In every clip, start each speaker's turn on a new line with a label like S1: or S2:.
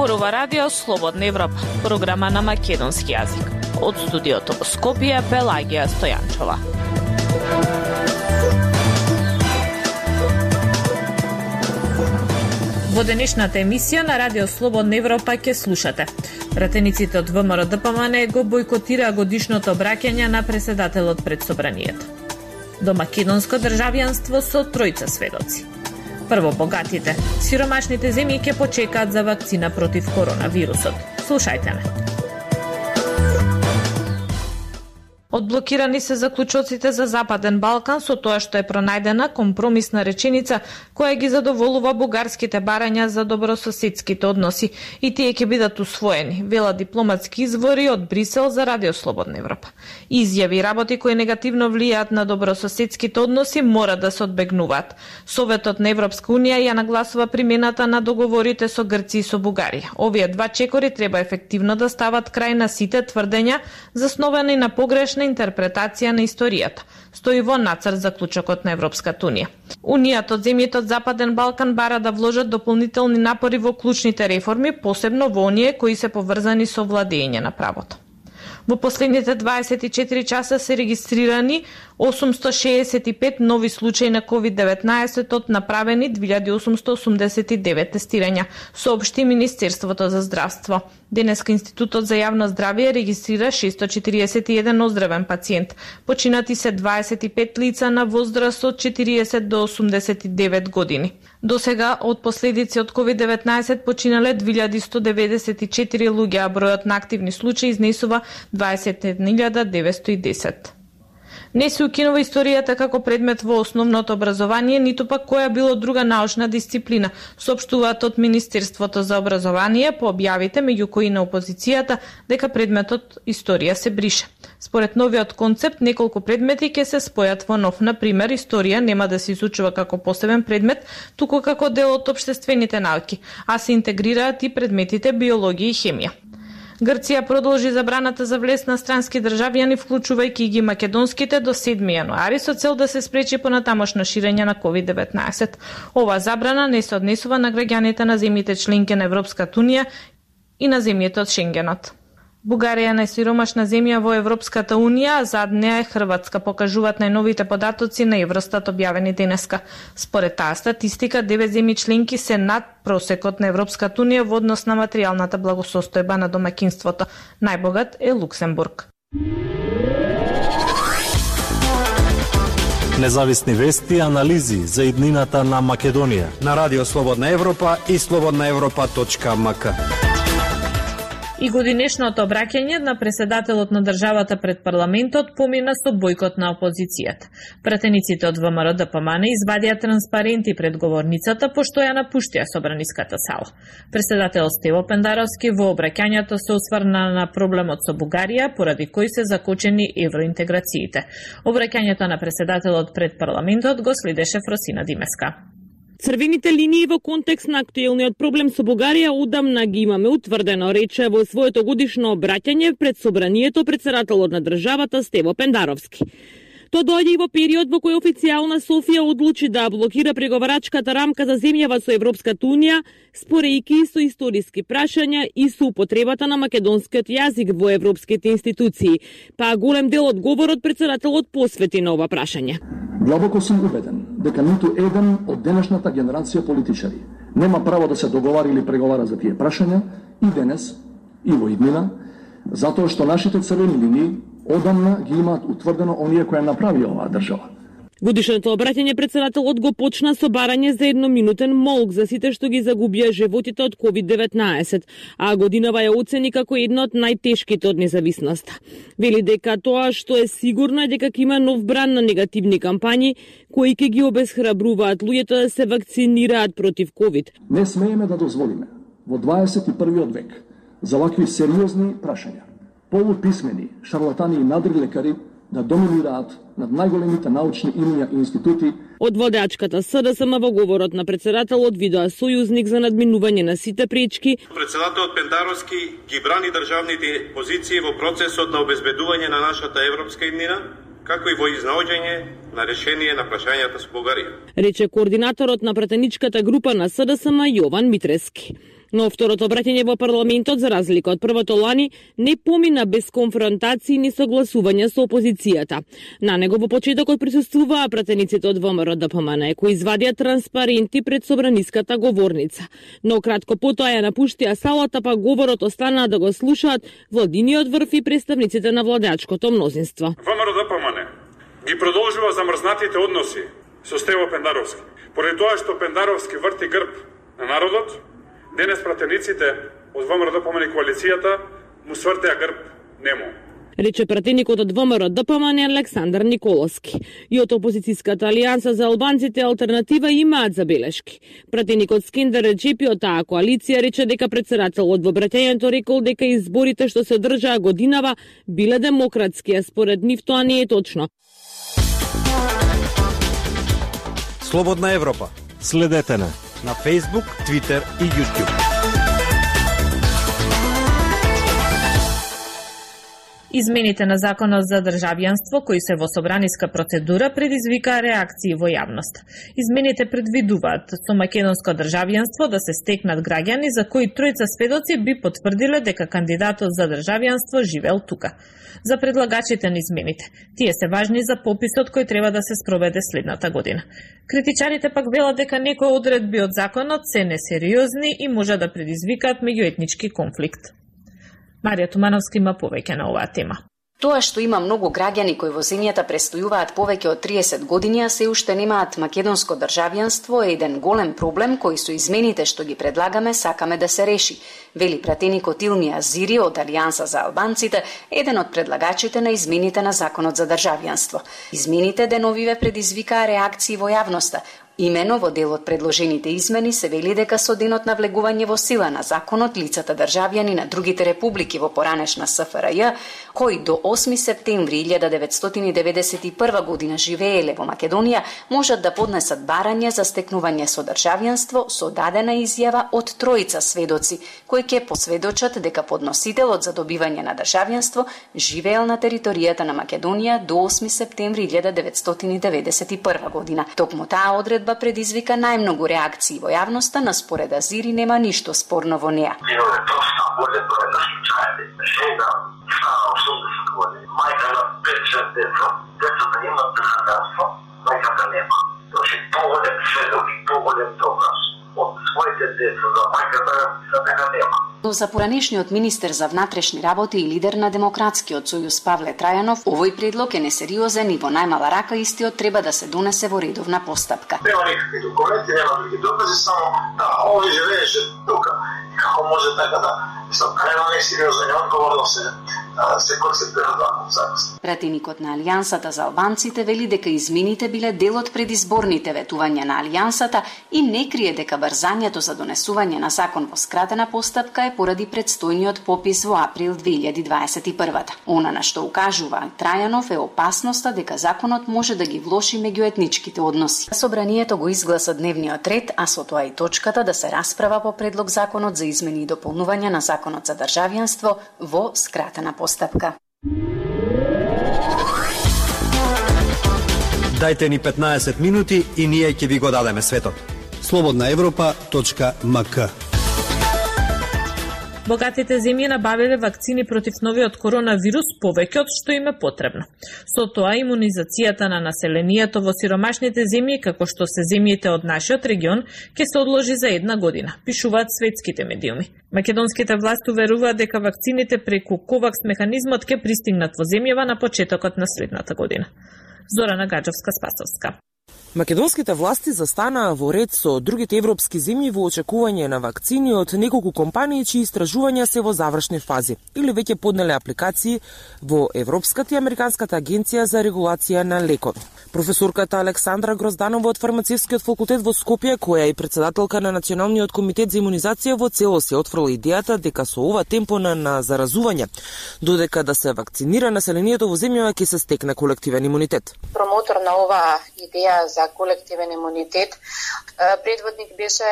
S1: Зборува Радио Слободна Европа, програма на македонски јазик. Од студиото во Скопје, Пелагија Стојанчова. Во денешната емисија на Радио Слободна Европа ќе слушате. Пратениците од ВМРО ДПМН го бойкотираа годишното обраќање на претседателот пред собранието. До македонско државјанство со тројца сведоци. Прво богатите, сиромашните земји ќе почекаат за вакцина против коронавирусот. Слушајте ме. Одблокирани се заклучоците за Западен Балкан со тоа што е пронајдена компромисна реченица која ги задоволува бугарските барања за добрососедските односи и тие ќе бидат усвоени, вела дипломатски извори од Брисел за Радио Слободна Европа. Изјави и работи кои негативно влијаат на добрососедските односи мора да се одбегнуваат. Советот на Европска унија ја нагласува примената на договорите со Грција и со Бугарија. Овие два чекори треба ефективно да стават крај на сите тврдења засновани на погрешна интерпретација на историјата, стои во нацрт заклучокот на Европската унија. Унијата од земјите од Западен Балкан бара да вложат дополнителни напори во клучните реформи, посебно во оние кои се поврзани со владење на правото. Во последните 24 часа се регистрирани 865 нови случаи на COVID-19 од направени 2889 тестирања, соопшти Министерството за здравство. Денеска Институтот за јавно здравје регистрира 641 оздравен пациент. Починати се 25 лица на возраст од 40 до 89 години. Досега од последици од COVID-19 починале 2194 луѓе, а бројот на активни случаи изнесува 21910. Не се укинува историјата како предмет во основното образование, ниту пак која било друга научна дисциплина, соопштуваат од Министерството за образование по објавите меѓу кои на опозицијата дека предметот историја се брише. Според новиот концепт, неколку предмети ќе се спојат во нов. Например, историја нема да се изучува како посебен предмет, туку како дел од општествените науки, а се интегрираат и предметите биологија и хемија. Грција продолжи забраната за влез на странски државјани, вклучувајќи ги македонските, до 7 јануари со цел да се спречи понатамошно ширење на COVID-19. Ова забрана не се однесува на граѓаните на земјите членки на Европската унија и на земјите од Шенгенот. Бугарија е најсиромашна земја во Европската унија, а зад неа е Хрватска, покажуваат најновите податоци на Евростат објавени денеска. Според таа статистика, 9 земји членки се над просекот на Европската унија во однос на материјалната благосостојба на домаќинството. Најбогат е Луксембург.
S2: Независни вести и анализи за иднината на Македонија
S3: на Радио Слободна Европа и slobodnaevropa.mk.
S1: И годинешното обраќање на претседателот на државата пред парламентот помина со бојкот на опозицијата. Пратениците од ВМРО ДПМН извадија транспаренти пред говорницата, пошто ја напуштија собраниската сала. Претседателот Стево Пендаровски во обраќањето се осврна на проблемот со Бугарија, поради кој се закочени евроинтеграциите. Обраќањето на претседателот пред парламентот го следеше Фросина Димеска.
S4: Црвените линии во контекст на актуелниот проблем со Бугарија одамна ги имаме утврдено, рече во своето годишно обраќање пред собранието претседателот на државата Стево Пендаровски. Тоа доаѓа и во период во кој официјална Софија одлучи да блокира преговарачката рамка за земјава со Европската унија, спорејќи со историски прашања и со употребата на македонскиот јазик во европските институции, па голем дел од говорот претседателот посвети на ова прашање.
S5: Длабоко сум убеден дека ниту еден од денешната генерација политичари нема право да се договара или преговара за тие прашања и денес, и во иднина, затоа што нашите црвени линии одамна ги имаат утврдено оние кои направи оваа држава.
S4: Годишното обраќање претседателот го почна со барање за едноминутен молк за сите што ги загубија животите од COVID-19, а годинава ја оцени како една од најтешките од независноста. Вели дека тоа што е сигурно е дека ќе има нов бран на негативни кампањи кои ќе ги обесхрабруваат луѓето да се вакцинираат против COVID.
S5: Не смееме да дозволиме во 21. век за вакви сериозни прашања полуписмени, шарлатани и надрилекари да доминираат над најголемите научни имиња и институти.
S4: Од водачката СДСМ во говорот на претседателот видоа сојузник за надминување на сите пречки.
S6: Претседателот Пендаровски ги брани државните позиции во процесот на обезбедување на нашата европска иднина, како и во изнаоѓање на решение на прашањата со Бугарија.
S4: Рече координаторот на пратеничката група на СДСМ Јован Митрески. Но второто обраќање во парламентот, за разлика од првото лани, не помина без конфронтации ни согласувања со опозицијата. На него во почетокот присуствуваа пратениците од ВМРО-ДПМН, кои извадија транспаренти пред собраниската говорница. Но кратко потоа ја напуштија салата, па говорот останаа да го слушаат владиниот врв и представниците на владеачкото мнозинство.
S7: ВМРО-ДПМН ги продолжува замрзнатите односи со Стево Пендаровски. Поради тоа што Пендаровски врти грб на народот, денес пратениците од ВМРО-ДПМН и коалицијата му свртеа грб нему.
S4: Рече пратеникот од ВМРО-ДПМН Александар Николовски. И од опозицијската алијанса за албанците Алтернатива имаат забелешки. Пратеникот Скендер Реджепи од таа коалиција рече дека претседателот во обраќањето рекол дека изборите што се одржаа годинава биле демократски, а според нив тоа не е точно.
S3: Слободна Европа.
S2: Следете
S3: на Facebook, Twitter и YouTube.
S1: Измените на законот за државјанство, кои се во собраниска процедура, предизвикаа реакции во јавност. Измените предвидуваат со македонско државјанство да се стекнат граѓани за кои тројца сведоци би потврдиле дека кандидатот за државјанство живеел тука. За предлагачите на измените, тие се важни за пописот кој треба да се спроведе следната година. Критичарите пак велат дека некои одредби од законот се несериозни и може да предизвикаат меѓуетнички конфликт. Марија Тумановска има повеќе на оваа тема.
S8: Тоа што има многу граѓани кои во земјата престојуваат повеќе од 30 години, а се уште немаат македонско државјанство, е еден голем проблем кој со измените што ги предлагаме сакаме да се реши, вели пратеникот Илми Азири од Алијанса за албанците, еден од предлагачите на измените на законот за државјанство. Измените деновиве предизвикаа реакции во јавноста. Имено во дел од предложените измени се вели дека со денот на влегување во сила на законот, лицата државјани на другите републики во поранешна СФРЈ, кои до 8 септември 1991 година живееле во Македонија, можат да поднесат барање за стекнување со државјанство со дадена изјава од тројца сведоци, кои ќе посведочат дека подносителот за добивање на државјанство живеел на територијата на Македонија до 8 септември 1991 година. Токму таа одредба предизвика најмногу реакции во јавноста, на според Азири нема ништо спорно во неа.
S9: Имаме доста голем број на случаи. Жена стара 80 години, мајка на 5-6 деца, децата имат државјанство, мајката нема. Значи поголем сведок и поголем доказ од своите деца за мајката за мене нема.
S8: Но за поранешниот министер за внатрешни работи и лидер на Демократскиот сојуз Павле Трајанов, овој предлог е несериозен и во најмала рака истиот треба да се донесе во редовна постапка.
S9: Нема никакви документи, нема други докази, само овој живееше тука. Како може така да нема несериозен одговор да се концептира закон.
S8: Пратеникот на Алијансата за албанците вели дека измените биле дел од предизборните ветувања на Алијансата и не крие дека брзањето за донесување на закон во скратена постапка е поради предстојниот попис во април 2021. Она на што укажува Трајанов е опасноста дека законот може да ги влоши меѓуетничките односи. Собранието го изгласа дневниот ред, а со тоа и точката да се расправа по предлог законот за измени и дополнување на законот за државјанство во скратена постапка.
S3: Дајте ни 15 минути и ние ќе ви го дадеме светот.
S2: slobodnaevropa.mk.
S1: Богатите земји набавиле вакцини против новиот коронавирус повеќе од што им е потребно. Со тоа имунизацијата на населението во сиромашните земји, како што се земјите од нашиот регион, ќе се одложи за 1 година, пишуваат светските медиуми. Македонските власти уверуваат дека вакцините преку ковакс механизмот ќе пристигнат во земјава на почетокот на следната година. Зорана Гаджевска-Спасовска.
S10: Македонските власти застанаа во ред со другите европски земји во очекување на вакцини од неколку компании чии истражувања се во завршни фази или веќе поднеле апликации во Европската и Американската агенција за регулација на лекови. Професорката Александра Грозданова од Фармацевскиот факултет во Скопје, која е председателка на Националниот комитет за имунизација, во целост се отфрла идејата дека со ова темпо на заразување, додека да се вакцинира населението во земјава ќе се стекне колективен имунитет.
S11: Промотор на оваа идеја за колективен имунитет, предводник беше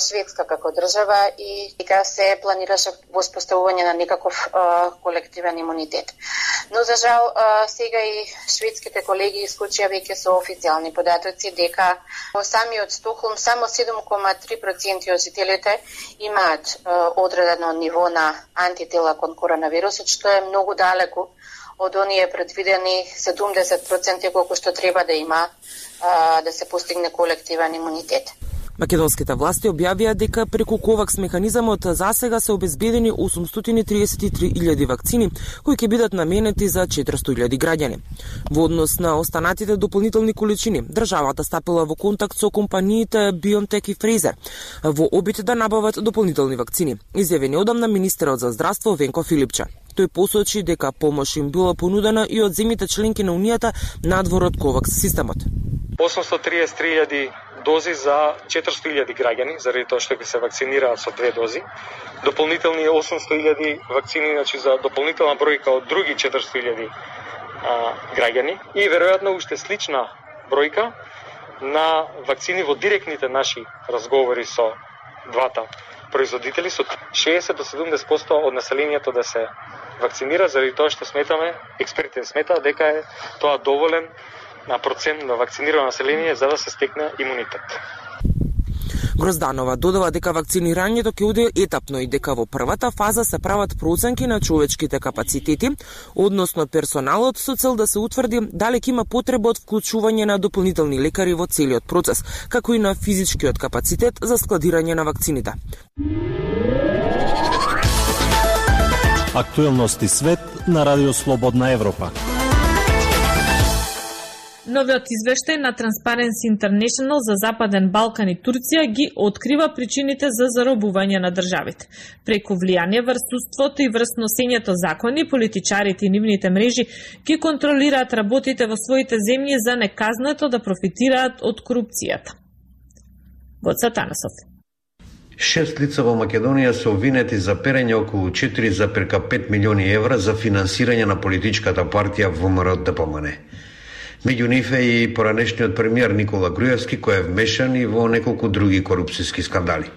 S11: Шведска како држава и дека се планираше воспоставување на некаков колективен имунитет. Но за жал сега и шведските колеги исклучија веќе веќе се официјални податоци дека во самиот Стокхолм само 7,3% од жителите имаат одредено ниво на антитела кон коронавирусот, што е многу далеку од оние предвидени 70% колку што треба да има да се постигне колективен имунитет.
S10: Македонските власти објавија дека преку ковакс механизамот засега се обезбедени 833.000 вакцини, кои ќе бидат наменети за 400.000 граѓани. Во однос на останатите дополнителни количини, државата стапила во контакт со компаниите BioNTech и Pfizer во обид да набават дополнителни вакцини, изјави неодамна министерот за здравство Венко Филипче. Тој посочи дека помош им била понудена и од земјите членки на Унијата надвор од ковакс системот.
S12: 833.000 дози за 400.000 граѓани, заради тоа што ќе се вакцинираат со 2 дози. Дополнителни 800.000 вакцини, значи за дополнителна бројка од други 400.000 граѓани и веројатно уште слична бројка на вакцини во директните наши разговори со двата производители, со 60 до 70% од населението да се вакцинира, заради тоа што сметаме, експертите сметаат дека е тоа доволен на процент на вакцинирано население за да се стекне имунитет.
S10: Грозданова додава дека вакцинирањето ќе оде етапно и дека во првата фаза се прават проценки на човечките капацитети, односно персоналот, со цел да се утврди дали ќе има потреба од вклучување на дополнителни лекари во целиот процес, како и на физичкиот капацитет за складирање на вакцините.
S2: Актуелности свет на Радио Слободна Европа.
S1: Новиот извештај на Transparency International за Западен Балкан и Турција ги открива причините за заробување на државите. Преку влијание врз судството и врз носењето закони, политичарите и нивните мрежи ги контролираат работите во своите земји за неказнето да профитираат од корупцијата. Гоца Танасов.
S13: 6 лица во Македонија се обвинети за перење околу 4,5 милиони евра за финансирање на политичката партија ВМРО-ДПМН. Меѓу нив е и поранешниот премиер Никола Груевски, кој е вмешан и во неколку други корупцијски скандали.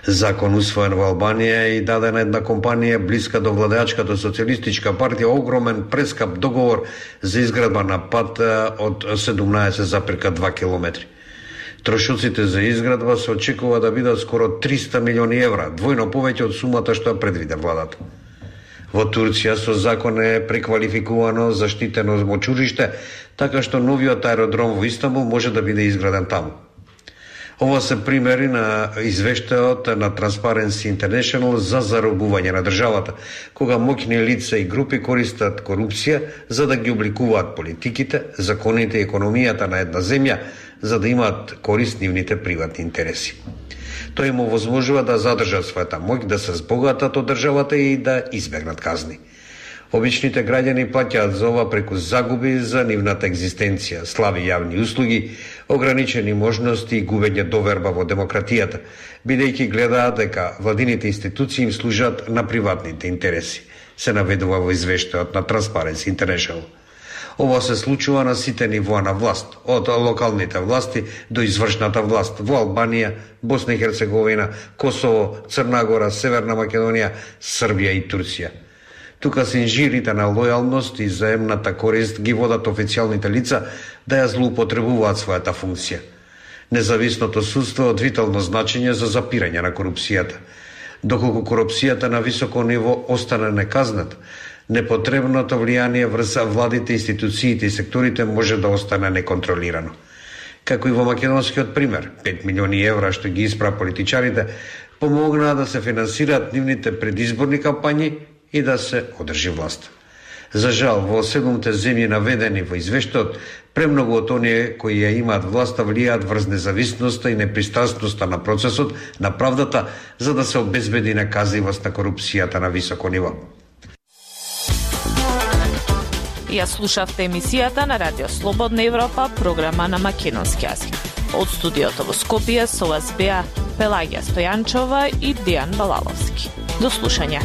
S13: Закон усвоен во Албанија и даде на една компанија блиска до владеачката социјалистичка партија огромен прескап договор за изградба на пат од 17,2 километри. Трошоците за изградба се очекува да бидат скоро 300 милиони евра, двојно повеќе од сумата што ја предвиде владата. Во Турција со закон е преквалификувано заштитено мочуриште, така што новиот аеродром во Истанбул може да биде изграден таму. Ова се примери на извештајот на Transparency International за заробување на државата, кога моќни лица и групи користат корупција за да ги обликуваат политиките, законите и економијата на една земја, за да имаат корист нивните приватни интереси. Тој им овозможува да задржат својата моќ, да се збогатат од државата и да избегнат казни. Обичните граѓани плаќаат за ова преку загуби за нивната екзистенција, слаби јавни услуги, ограничени можности и губење доверба во демократијата, бидејќи гледаат дека владините институции им служат на приватните интереси, се наведува во извештајот на Transparency International. Ова се случува на сите нивоа на власт, од локалните власти до извршната власт во Албанија, Босна и Херцеговина, Косово, Црна Гора, Северна Македонија, Србија и Турција. Тука се инжирите на лојалност и заемната корист ги водат официјалните лица да ја злоупотребуваат својата функција. Независното судство е од витално значење за запирање на корупцијата. Доколку корупцијата на високо ниво остане неказната, непотребното влијание врз владите, институциите и секторите може да остане неконтролирано. Како и во македонскиот пример, 5 милиони евра што ги испра политичарите помогнаа да се финансираат нивните предизборни кампањи и да се одржи власт. За жал, во 7 земји наведени во извештајот, премногу од оние кои ја имаат власта влијаат врз независноста и непристрасноста на процесот на правдата за да се обезбеди наказливост на корупцијата на високо ниво.
S1: Ја слушавте емисијата на Радио Слободна Европа, програма на македонски јазик. Од студиото во Скопје со вас беа Пелагија Стојанчова и Дијан Балаловски. До слушање.